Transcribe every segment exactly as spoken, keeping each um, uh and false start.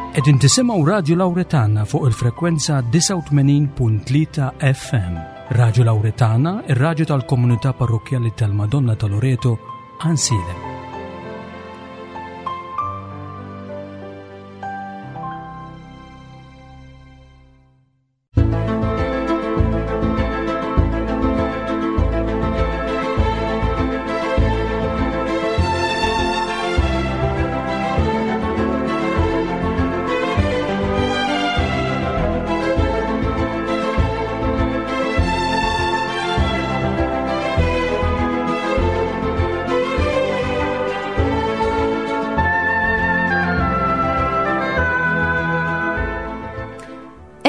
Qegħdin tisimgħu Radio Lauretana fuq il-frekwenza disgħa u tmenin punt tlieta F M. Radio Lauretana, ir-radju tal-komunità parrokkjali tal-Madonna ta' Loreto, Għajnsielem.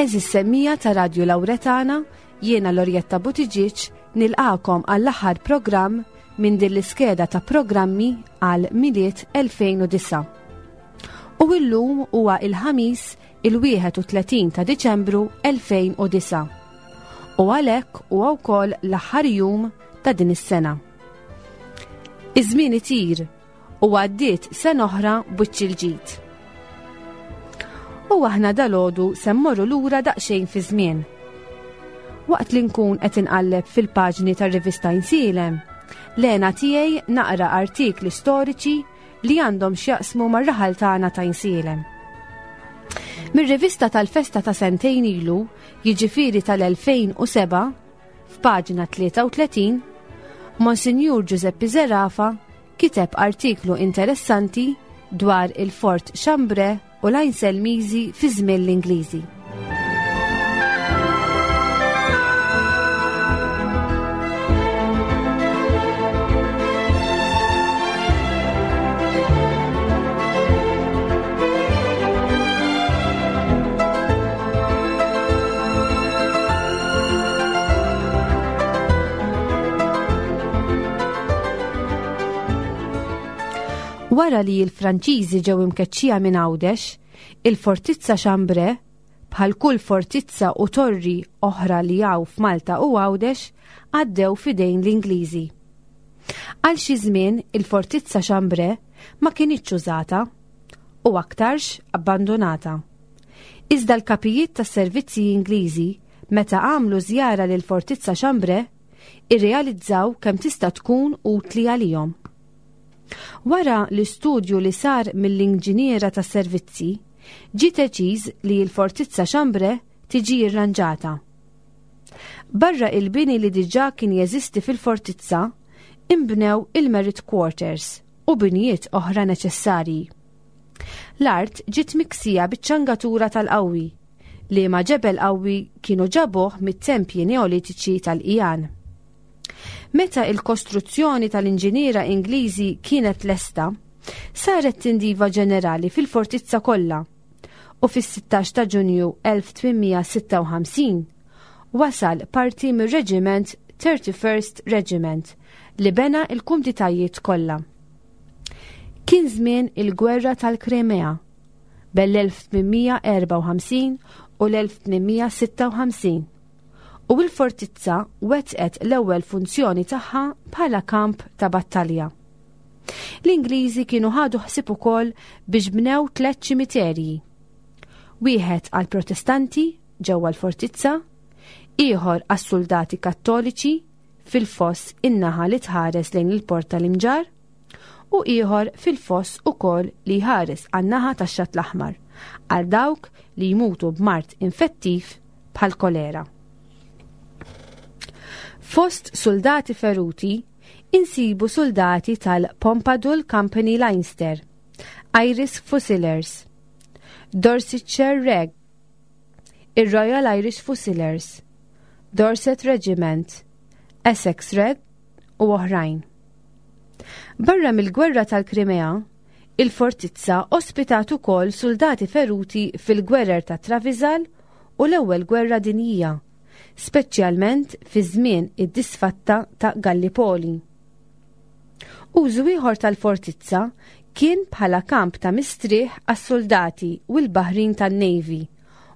Għeżież semmiegħa ta' Radio Lauretana, jiena Lorjetta Buttigieg nilqagħkom għall-aħħar programm minn din l-iskeda ta' programmi għal Milied elfejn u disgħa. U illum huwa il-Ħamis il-wieħed u tletin ta' Diċembru elfejn u disgħa. U għalhekk huwa wkoll l-aħħar jum ta' din is-sena. Iż-żmien itir u għaddiet sena oħra b'wiċċ il-ġid. U aħna dalgħodu se mmorru lura daqsxejn fi żmien. Waqt li nkun qed inqalleb fil-paġni tar-rivista Għajnsielem, l-hena tiegħi naqra artikli storiċi li għandhom x'jaqsmu mar-raħal tagħna ta' Għajnsielem. Mir-rivista tal-festa ta' sentejn ilu, jiġifieri tal-elfejn u sebgħa, f'paġna tlieta u tletin, Monsinjur Giuseppe Zerafa kiteb artiklu interessanti dwar il-Fort Chambray u l-Għajnselmiżi fi żmien l-Ingliżi. Wara li l-Franċiżi ġew imkeċċija minn Għawdex, il-Fortizza Chambray, bħal kull fortizza u torri oħra li hawn f'Malta u Għawdex, għaddew f'idejn l-Ingliżi. Għal xi żmien il-Fortizza Chambray ma kinitx użata u aktarx abbandonata. Iżda l-kapijiet tas-servizzi Ingliżi, meta għamlu żjara lil Fortizza Chambray, irrealizzaw kemm tista' tkun utli għalihom. Wara l-istudju li sar mill-inġiniera tas servizzi, ġie deċiż li l-Fortizza Chambray tiġi irranġata. Barra il-bini li diġà kien jeżisti fil-fortizza, imbnew il-Merit Quarters u binijiet oħra neċessarji. L-art ġiet miksija biċ-ċangatura tal-qawwi, li ma ġebel qawwi kienu ġabuh mit-tempji neolitiċi tal-Ijan. Meta il-kostruzzjoni tal-inġiniera Ingliżi kienet lesta, saret tindifa ġenerali fil-fortizza kollha u fis-sittax ta' Ġunju elf tmien mija sitta u ħamsin wasal parti mir-reġiment thirty-first Regiment li bena il-kumditajiet kollha. Kien żmien il-Gwerra tal-Krimea bejn l-elf tmien mija erbgħa u ħamsin u l-elf tmien mija sitta u ħamsin u l-fortizza wetqet l-ewwel funzjoni tagħha bħala kamp ta' battalja. L-Ingliżi kienu ħadu ħsieb ukoll biex bnew tliet ċimiterji. Wieħed għal Protestanti ġewwa l-fortizza, ieħor għas-soldati Kattoliċi fil-foss in-naħa li tħares lejn il-port tal-Imġarr u ieħor fil-foss ukoll li jħares għan-naħa tax-Xatt l-Aħmar għal dawk li jmutu b'mard infettiv bħal kolera. Fost soldati feruti, insibu soldati tal-Pompadour Company Leinster, Irish Fusiliers, Dorsetshire Reg, il-Royal Irish Fusiliers, Dorset Regiment, Essex Reg u oħrajn. Barra mill-Gwerra tal-Krimea, il-fortizza ospitat ukoll soldati feruti fil-gwerer ta' Travizal u l-Ewwel Gwerra Dinjija, speċjalment fi żmien id-disfatta ta' Gallipoli. Użu ieħor tal-fortizza kien bħala kamp ta' mistrieħ għas-soldati u l-baħrin tan-Navy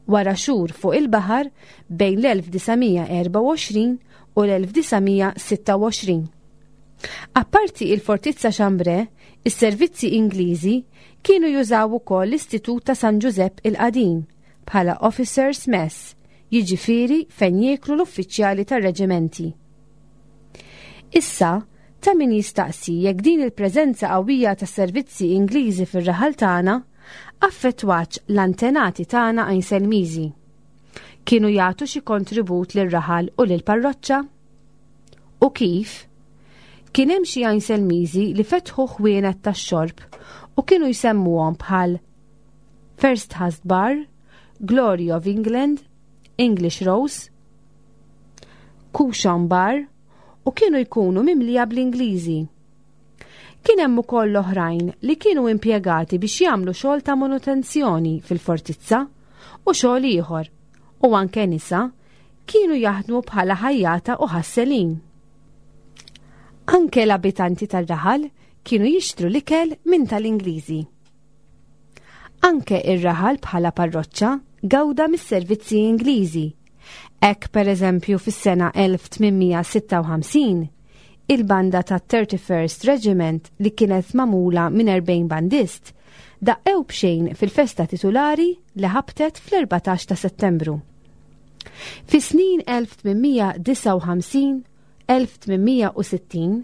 wara xhur fuq il-baħar bejn l-elf disa' mija erbgħa u għoxrin u l-elf disa' mija sitta u għoxrin. Apparti il-Fortizza Chambray, is-servizzi Ingliżi kienu jużaw ukoll l-Istitut ta' San Ġużepp il-Qadim bħala Officers Mess, jiġifieri fejn jieklu l-uffiċjali tar-reġimenti. Issa, ta' min jistaqsi jekk din il-preżenza qawwija tas-servizzi Ingliżi fir-raħal tagħna affettwatx l-antenati tagħna Għajnselmiżi. Kienu jagħtu xi kontribut lir-raħal u lill-parroċċa? U kif? Kien hemm xi Għajnselmiżi li fetħu ħwienet tax-xorb u kienu jsemmuhom bħal First Hast Bar, Glory of England, English Rose, Cushion Bar u kienu jkunu mimlija bl-Ingliżi. Kien hemm ukoll oħrajn li kienu impjegati biex jagħmlu xogħol ta' manutenzjoni fil-fortizza u xogħol ieħor, u anke nisa kienu jaħdmu bħala ħajjata u ħasselin. Anke l-abitanti tar-raħal kienu jixtru l-ikel minn tal-Ingliżi. Anke ir-raħal bħala parroċċa gawda mis-servizzi Ingliżi. Hekk pereżempju fis-sena elf tmien mija sitta u ħamsin, il-banda ta' thirty-first Regiment li kienet magħmula minn erbgħin bandist daqqew b'xejn fil-festa titulari li ħabtet fl-erbatax ta' Settembru. Fis-snin elf tmien mija disgħa u ħamsin, elf tmien mija u sittin,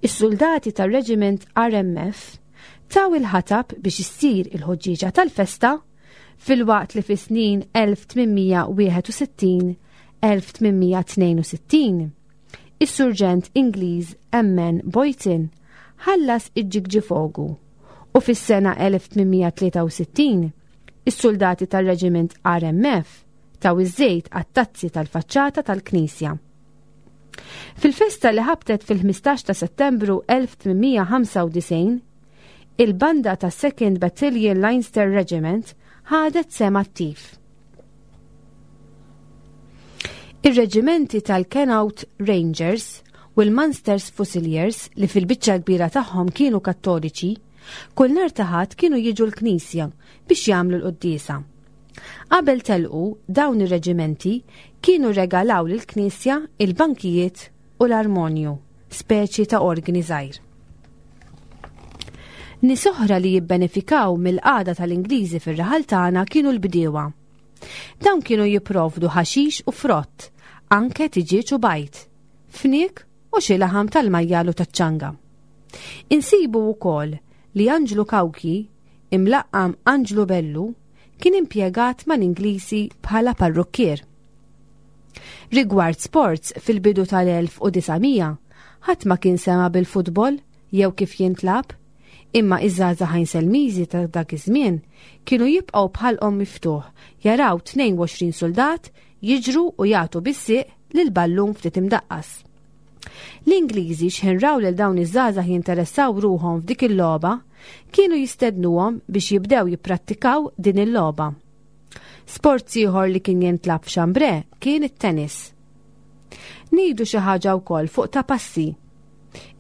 is-soldati tar-Reġiment R M F taw il-ħatab biex issir il-ħuġġieġa tal-festa filwaqt li fis-snin elf tmien mija wieħed u sittin, elf tmien mija tnejn u sittin, is-surġent Ingliż M N Boyton ħallas iġ-ġigġifogu u fis-sena elf tmien mija tlieta u sittin is-soldati tar-Reġiment R M F taw iż-żejt għat-tazzi tal-faċċata tal-Knisja. Fil-festa li ħabtet fil-ħmistax ta' Settembru elf tmien mija ħamsa u disgħin, il-banda ta' Second Battalion Leinster Regiment ħadet sehem attiv. Ir-reġimenti tal-Connaught Rangers u l-Munsters Fusiliers li fil-biċċa kbira tagħhom kienu kattoliċi, kull nhar ta' Ħadd kienu jiġu l-Knisja biex jagħmlu l-quddiesa. Qabel telqu dawn ir-reġimenti kienu regalaw lill-Knisja il-bankijiet u l-armonju, speċi ta' organi żgħir. Nies oħra li jibbenefikaw mill-qagħda tal-Ingliżi fir-raħal tagħna kienu l-bdiewa. Dawn kienu jipprovdu ħaxix u frott, anke tiġieġ u bajd, fniek u xi laħam tal-majjal u taċ-ċanga. Insibu wkoll li Anġlu Kawki, imlaqqam Anġlu Bellu, kien impjegat mal-Ingliżi bħala parrukkier. Rigward sports fil-bidu tal-elf u disa' mija, ħadd ma kien sema bil-futbol jew kif jintlab, imma iż-żgħażagħ Għajnselmiżi ta' dak iż-żmien kienu jibqgħu bħalqhom miftuħ jaraw tnejn u għoxrin soldat jiġru u jagħtu bis-sieq lil ballun ftit imdaqqas. L-Ingliżi x'ħin raw lil dawn iż-żgħażagħ jinteressaw ruħhom f'dik il-logħba, kienu jistednuhom biex jibdew jipprattikaw din il-logħba. Sport ieħor li kien jintlab f'Chambray kien it-tennis. Ngħidu xi ħaġa wkoll fuq ta' passi.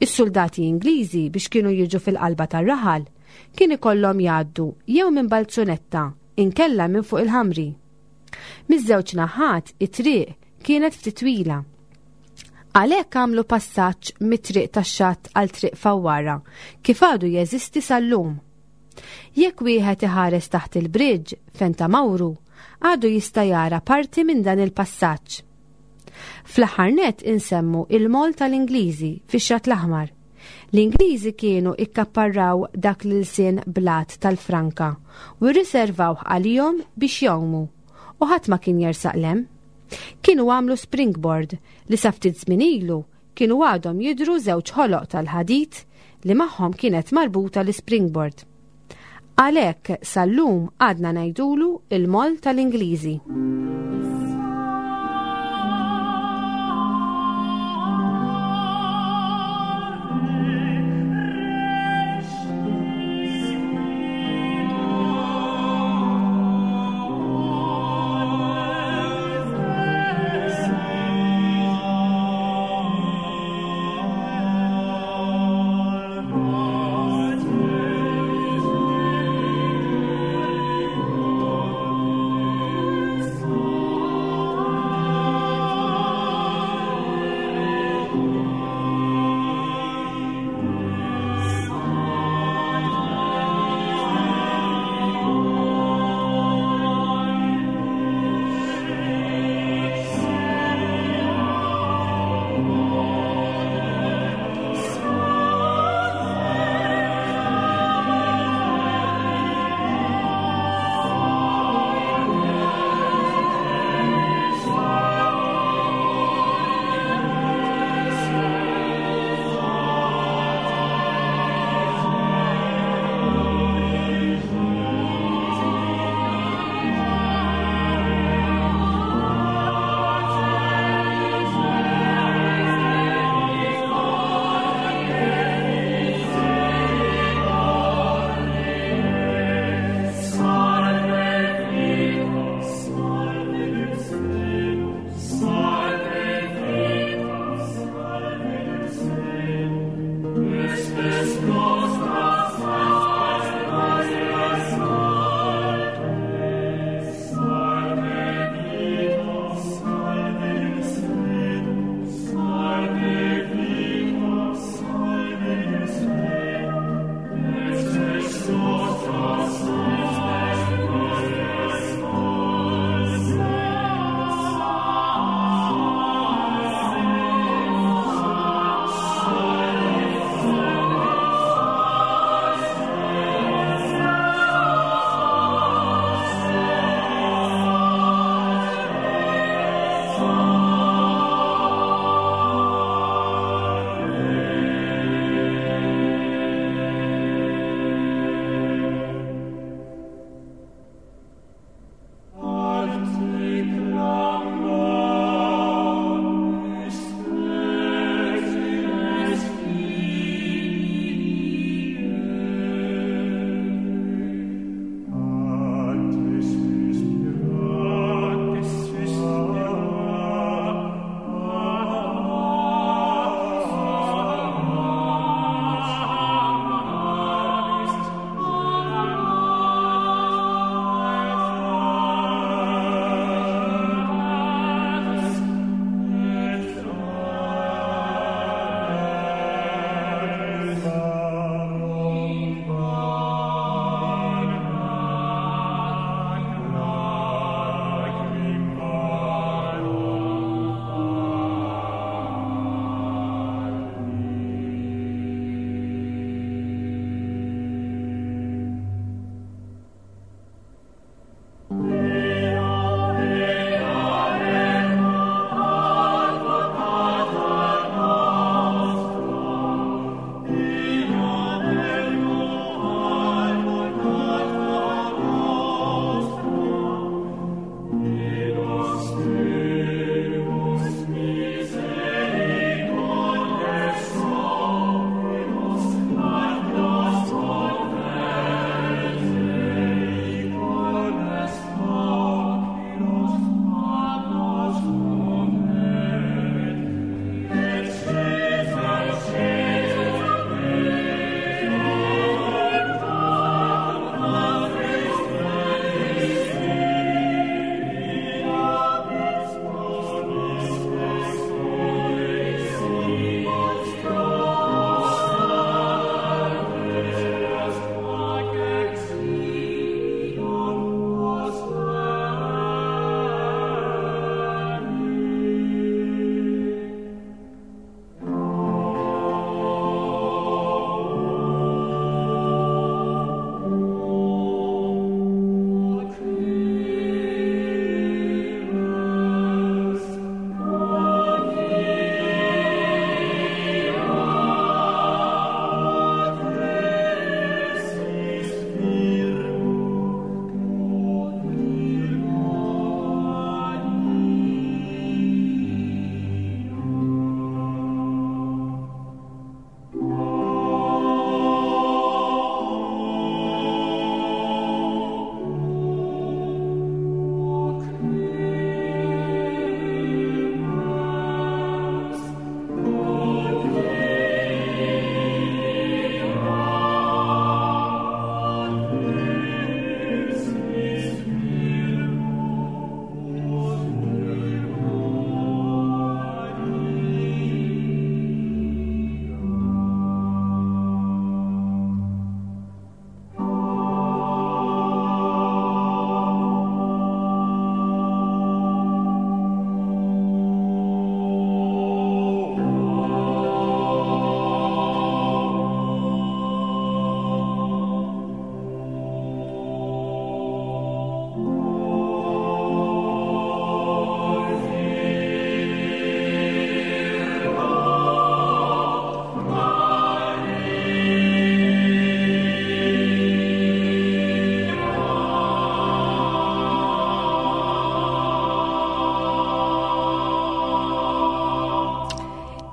Is-soldati Ingliżi biex kienu jiġu fil-qalba tar-raħal kien ikollhom jgħaddu jew minn balzunetta inkella minn fuq il-ħamri. Miż-żewġ naħat it-triq kienet ftit twila. Għalhekk għamlu passaġġ mit-triq tax-xatt għal triq Fawwara kif għadu jeżisti sal-lum. Jekk wieħed iħares taħt il-bridge fejn ta' Mawru, għadu jista' jara parti minn dan il-passaġġ. Fl-aħħar nett insemmu il-mol tal-Ingliżi fix-Xatt l-Aħmar. L-Ingliżi kienu ikkapparraw dak l-ilsien blat tal-Franka u rriservawh għalihom biex jgħumu u ħadd ma kien jersaq lem. Kienu għamlu springboard li sa ftit żmien ilu kienu għadhom jidhru żewġ ħoloq tal-ħadid li magħhom kienet marbuta l-springboard. Għalhekk sal-lum għadna ngħidulu il-mol tal-Ingliżi. Thank you.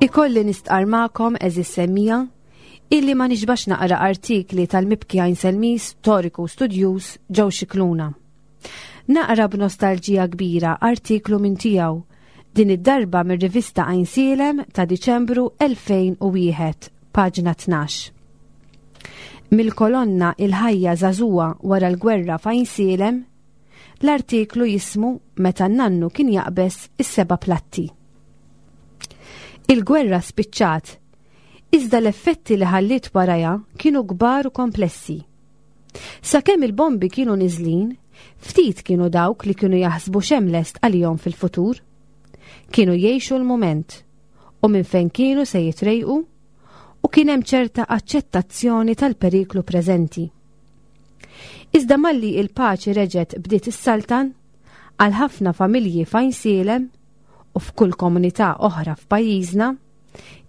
Ikolli nistqar magħkom, għeżież semmiegħa, illi ma nixbax naqra artikli tal-mibki Għajnselmiż, storiku studjuż Joe Scicluna. Naqra b'nostalġija kbira artiklu minn tiegħu, din id-darba mir-rivista Għajnsielem ta' Diċembru elfejn u wieħed, paġna tnax. Mill-kolonna "Il-ħajja żagħżugħa wara l-gwerra f'Għajnsielem", l-artiklu jismu "Meta n-nannu kien jaqbeż is-seba' platti". Il-gwerra spiċċat, iżda l-effetti li ħalliet warajha kienu kbar u komplessi. Sakemm il-bombi kienu niżlin, ftit kienu dawk li kienu jaħsbu x'hemm lest għalihom fil-futur. Kienu jgħixu l-moment u minn fejn kienu se jitrejqu u kien hemm ċerta aċċettazzjoni tal-periklu preżenti. Iżda malli il-paċi reġgħet bdiet issaltan, għal ħafna familji f'Għajnsielem u f'kull komunità oħra f'pajjiżna,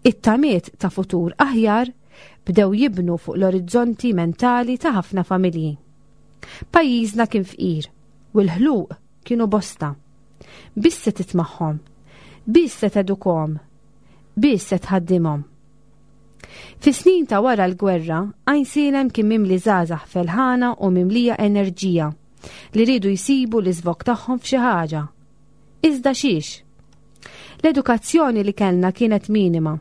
it-tamiet ta' futur aħjar bdew jibnu fuq l-orizzonti mentali ta' ħafna familji. Pajjiżna kien fqir u l-ħluq kienu bosta. Biss se titmagħhom, biss se tedukhom, biss se tħaddimhom. Fis-snin ta' wara l-gwerra, Għajnsielem kien mimli żgħażagħ felħana u mimlija enerġija li riedu jsibu l-iżvog tagħhom f'xi ħaġa. Iżda xiex? L-edukazzjoni li kellna kienet minima.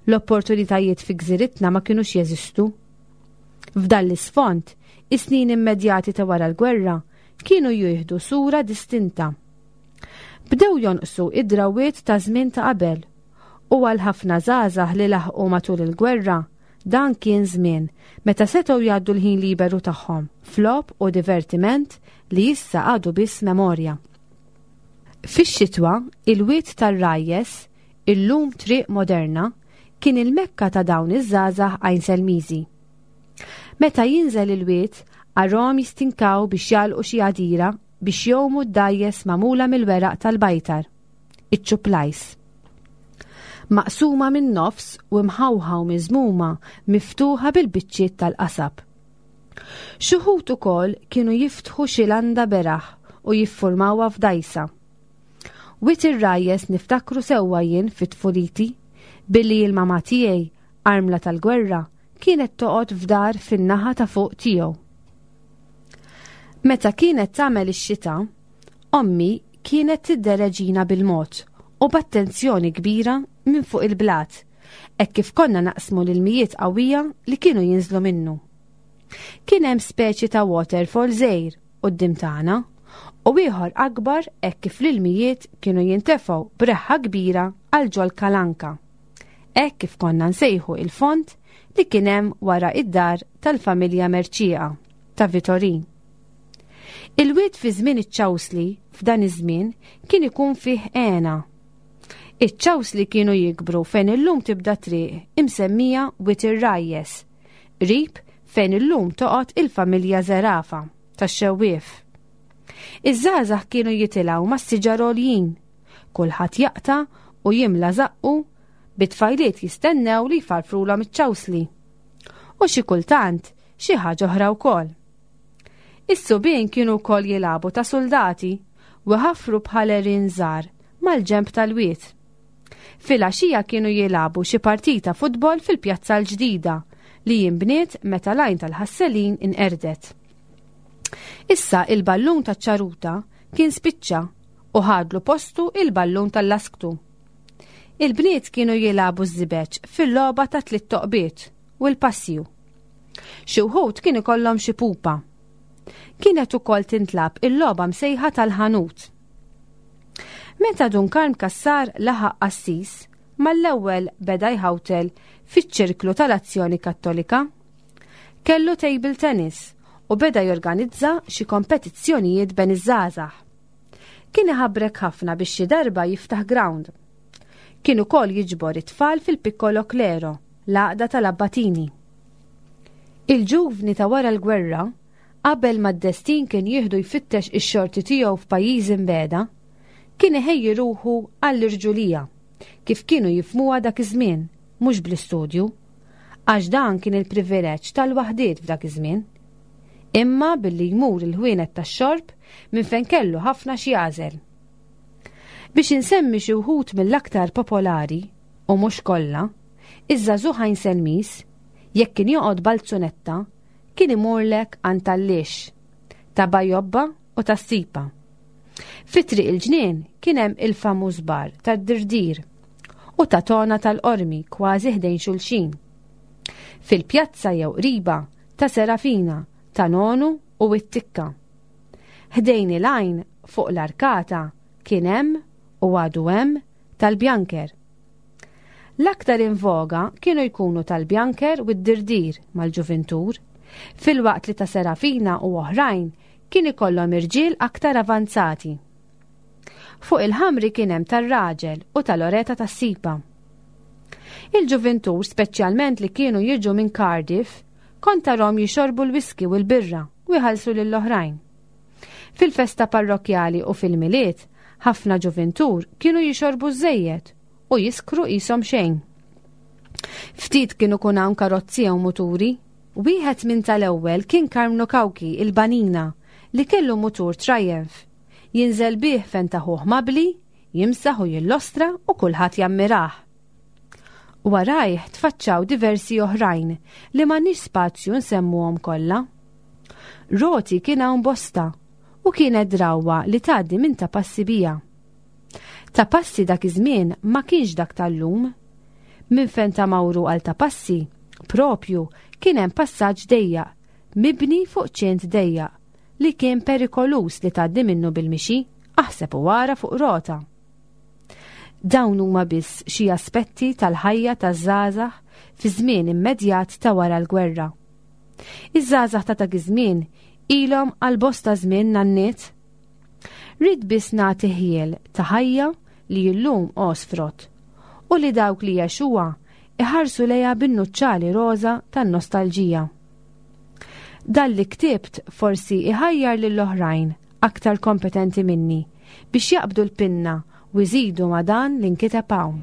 L-opportunitajiet fi gżiritna ma kienux jeżistu. F'dan l-isfond, is-snin immedjati ta' wara l-gwerra kienu jieħdu sura distinta. Bdew jonqsu id-drawiet ta' żmien ta' qabel u għal ħafna żgħażagħ li laħqu matul il-gwerra, dan kien żmien meta setgħu jgħaddu l-ħin liberu tagħhom f'logħob u divertiment li issa għadu biss memorja. Fix-xitwa, il-Wied tar-Rajjes, illum triq moderna, kien il-mekka ta' dawn iż-żgħażagħ Għajnselmiżi. Meta jinżel il-wied, arahom jistinkaw biex jagħlqu xi għadira biex jgħumu d-dgħajjes magħmula mill-weraq tal-bajtar, iċ-ċuplajs. Maqsuma minn nofs u mħawħa u miżmuma miftuħa bil-biċċiet tal-qasab. Xi wħud ukoll kienu jiftħu xi landa beraħ u jiffurmawha f'dajsa. Wied ir-Rajjes niftakru sewwa jien fit-tfuliti, billi il-mama tiegħi, armla tal-gwerra, kienet toqgħod f'dar fin-naħa ta' fuq tiegħu. Meta kienet tagħmel ix-xita, ommi kienet tiddereġina bil-mod u b'attenzjoni kbira minn fuq il-blat, hekk kif konna naqsmu l-ilmijiet qawwija li kienu jinżlu minnu. Kien hemm speċi ta' waterfall żgħir quddiem tagħna u ieħor akbar hekk kif l-ilmijiet kienu jintefgħu b'reħħa kbira għal ġol kalanka. Hekk kif konna nsejħu il-font li kien hemm wara id-dar tal-familja Merċieqa ta' Vitorin. Il-wied fi żmien iċ-ċawsli f'dan iż-żmien kien ikun fih għena. Iċ-ċawsli kienu jikbru fejn illum tibda triq imsemmija Wied ir-Rajjes, qrib fejn illum toqgħod il-familja Zerafa tax-Xewwief. Iż-żgħażagħ kienu jitilgħu mas-siġar għoljin, kulħadd jaqta' u jimla żaqqu bit-tfajliet jistennew li jfarfrulhom iċ-ċawsli. U xi kultant xi ħaġa oħra wkoll. Is-subien kienu wkoll jilagħbu ta' soldati u ħafru bħal għerien żgħar mal-ġenb tal-wied. Filgħaxija kienu jilagħbu xi partita futbol fil-pjazza l-ġdida li jinbniet meta l-Għajn tal-Ħasselin inqerdet. Issa il-ballun taċ-ċaruta kien spiċċa u ħadlu postu il-ballun tal-lasktu. Il-bniet kienu jilagħbu ż-żibeċ fil-logħba ta' tliet toqbiet u l-passju. Xi wħud kien ikollhom xi pupa. Kienet ukoll tintlagħab il-logħba msejħa tal-ħanut. Meta Dun Karm Cassar laħaq qassis, mal-ewwel beda jħawtel fiċ-ċirklu tal-Azzjoni Kattolika. Kellu table tennis u beda jorganizza xi kompetizzjonijiet bejn iż-żgħażagħ. Kien iħabrek ħafna biex xi darba jiftaħ ground. Kien ukoll jiġbor it-tfal fil-Piccolo Clero, l-għaqda tal-Abbatini. Il-ġuvni ta' wara l-gwerra, qabel ma d-destin kien jieħdu jfittex ix-xorti tiegħu f'pajjiż imbeda, kien iħejji ruħu għall-irġulija, kif kienu jifhmuha dak iż-żmien, mhux bl-istudju, għax dan kien il-privileġġ tal-waħdiet f'dak iż-żmien. Imma billi jmur il-ħwienet tax-xorb minn fejn kellu ħafna xi jagħżel. Biex insemmi xi wħud mill-aktar popolari u mhux kollha, iż-żagħżugħ Għajnselmiż, jekk kien joqgħod Balzunetta, kien imurlek għand tal-Lix, ta' Bajobba u tas-Sipa. Fi Triq il-Ġnien kien hemm il-famuż bar tad-Dirdir u ta' Tona tal-Qormi kważi ħdejn xulxin. Fil-pjazza jew qriba ta' Serafina, ta' Nonu u t-Tikka. Ħdejn il-għajn fuq l-arkata kien hemm u għadu hemm tal-Bjanker. L-aktar in voga kienu jkunu tal-Bjanker u d-Dirdir mal-ġuvintur, filwaqt li ta' Serafina u oħrajn kien ikollhom irġiel aktar avanzati. Fuq il-ħamri kien hemm tar-raġel u tal-oreta tas-sipa. Il-ġuvintur, speċjalment li kienu jiġu minn Cardiff, kont tarahom jixorbu l-whisky u l-birra u jħallsu lill-oħrajn. Fil-festa parrokjali u fil-Milied, ħafna ġuvintur kienu jixorbu żejjed u jiskru qishom xejn. Ftit kienu kun hawn karozzi jew muturi. Wieħed minn tal-ewwel kien Karmnu Cauchi il-Banina li kellu mutur Triumph. Jinżel bih fejn ta' ħuh Mabli, jimsaħ u jillostra u kulħadd jammirah. Warajh tfaċċaw diversi oħrajn li m'għandniex spazju nsemmuhom kollha. Roti kien hawn bosta u kienet drawwa li tgħaddi minn ta' passi bija. Ta' passi dak iż-żmien ma kienx dak tal-lum. Minn fejn ta' Mawru għal ta' passi, propju kien hemm passaġġ dejjaq, mibni fuq ċint dejjaq, li kien perikolus li tgħaddi minnu bil-mixi, aħseb u wara fuq rota. Dawn huma biss xi aspetti tal-ħajja taż-żgħażagħ fi żmien immedjat ta' wara l-gwerra. Iż-żgħażagħ ta' dak iż-żmien ilhom għal bosta żmien nanniet. Ridt biss nagħti ħjiel ta' ħajja li llum għosfrot u li dawk li għexuha iħarsu lejha bin-nuċċali roża tan-nostalġija. Dan li ktibt forsi iħajjar lill-oħrajn aktar kompetenti minni biex jaqbdu l-pinna u jżidu ma' dan li nkiteb hawn.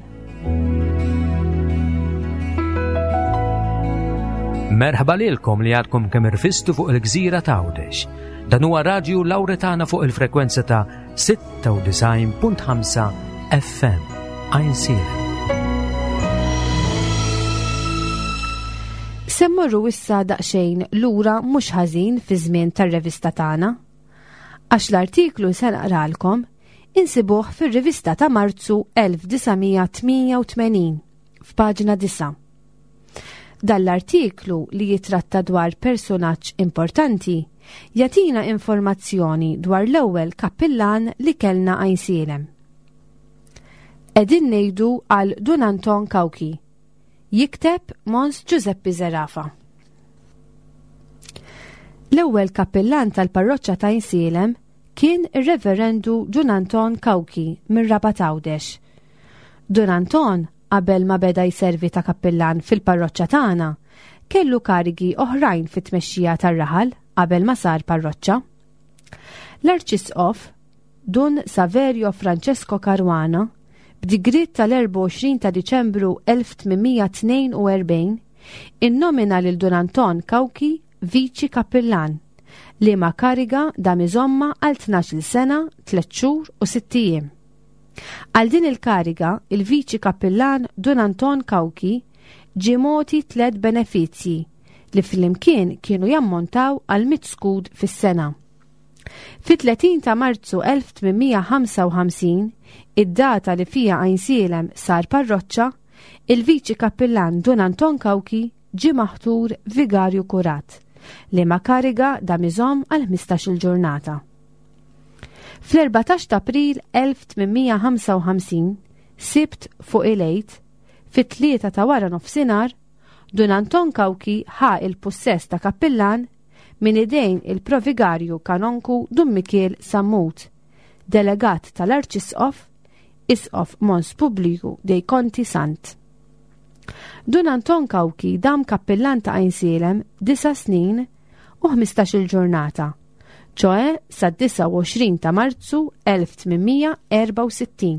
Merħba lilkom li għadkom kemm irfistu fuq il-gżira ta' Għawdex. Dan huwa Radju Lawretana fuq il-frekwenza ta' sitta u disgħin punt ħamsa F M. Għajnsielem. Se mmorru issa daqsxejn lura mhux ħażin fi żmien tar-revista tagħna. Għax l-artiklu se naqralkom insibuh fir-rivista ta' Marzu elf disa' mija tmienja u tmenin f'paġna disa'. Dan l-artiklu li jitratta dwar personaġġ importanti jagħtina informazzjoni dwar l-ewwel kappillan li kellna Għajnsielem. Qegħdin ngħidu għal Dun Anton Cauchi. Jikteb Mons Giuseppe Zerafa. L-ewwel kappillan tal-parroċċa ta' Għajnsielem kien ir-Reverendu Dun Anton Cauchi mir-Rabat Għawdex. Dun Anton, qabel ma beda jservi ta' kappillan fil-parroċċa tagħna, kellu karigi oħrajn fit-tmexxija tar-raħal qabel ma sar parroċċa. L-Arċisqof Dun Saverio Francesco Caruana, b'digriet tal-erbgħa u għoxrin ta' Diċembru elf tmien mija tnejn u erbgħin, innomina lil Dun Anton Cauchi viċi kappillan, li ma kariga dam iżomma għal tnax-il sena, tliet xhur u sitt ijiem. Għal din il-kariga, il-viċi kappillan Dun Anton Cauchi ġie mogħti tliet benefizzji li flimkien kienu jammontaw għal mitt skud fis-sena. Fi tletin ta' Marzu elf tmien mija ħamsa u ħamsin, id-data li fija Għajnsielem sar parroċċa, il-viċi kappillan Dun Anton Cauchi ġie maħtur vigarju kurat, li ma kariga dam iżomm għal ħmistax-il ġurnata. Fl-erbatax ta' April elf tmien mija ħamsa u ħamsin, Sibt fuq il-Għid, fit-tlieta ta' wara nofsinhar, Dun Anton Cauchi ħa il-pussess ta' kappillan minn idejn il-provigarju kanonku Dun Mikiel Sammut, delegat tal-Arċisqof, Isqof Mons Publiju dei Conti Sant. Dun Anton Cauchi dam kappillan ta' Għajnsielem disa' snin u ħmistax-il ġurnata, ċoe sa' disgħa u għoxrin ta' Marzu elf tmien mija erbgħa u sittin.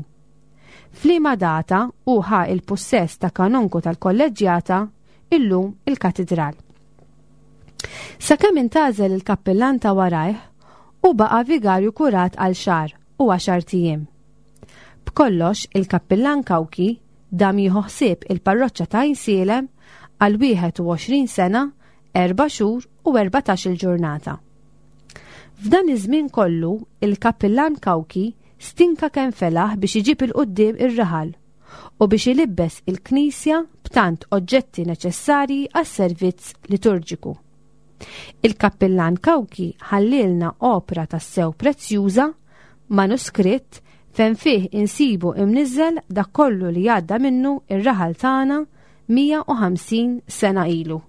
F'liema data hu ħa il-pussess ta' kanonku tal-kolleġġjata, illum il-katedral. Sakemm intgħażel il-kappillan ta' warajh, u baqa' vigarju kurat għal xahar u għaxar ijiem. B'kollox il-kappillan Cauchi dam jieħu ħsieb il-parroċċa ta' Għajnsielem għal wieħed u għoxrin sena, erba' xhur u erbatax-il ġurnata. F'dan iż-żmien kollu, il-kappillan Cauchi stinka kemm felaħ biex iġib 'il quddiem ir-raħal u biex ilibbes il-knisja b'tant oġġetti neċessarji għas-servizz liturġiku. Il-kappillan Cauchi ħallielna opra tassew prezzjuża, manuskritt fejn fih insibu imniżżel dak kollu li għadda minnu ir-raħal tagħna mija u ħamsin sena ilu.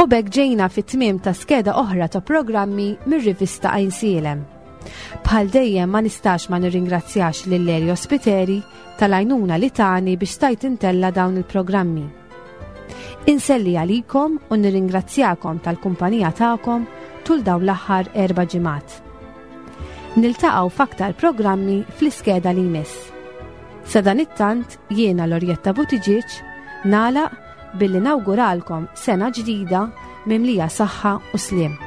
U b'hekk ġejna fit-tmiem ta' skeda oħra ta' programmi mir-rivista Għajnsielem. Bħal dejjem, ma nistax ma nirringrazzjax lil Elio Spiteri tal-għajnuna li tani biex stajt intella' dawn il-programmi. Inselli għalikom u nirringrazzjakom tal-kumpanija tagħkom tul dawn l-aħħar erba' ġimgħat. Niltaqgħu f'aktar programmi fl-iskeda li jmiss. Sadanittant, jiena Lorjetta Buttigieg nagħlaq billi nawguralkom sena ġdida mimlija saħħa u sliem.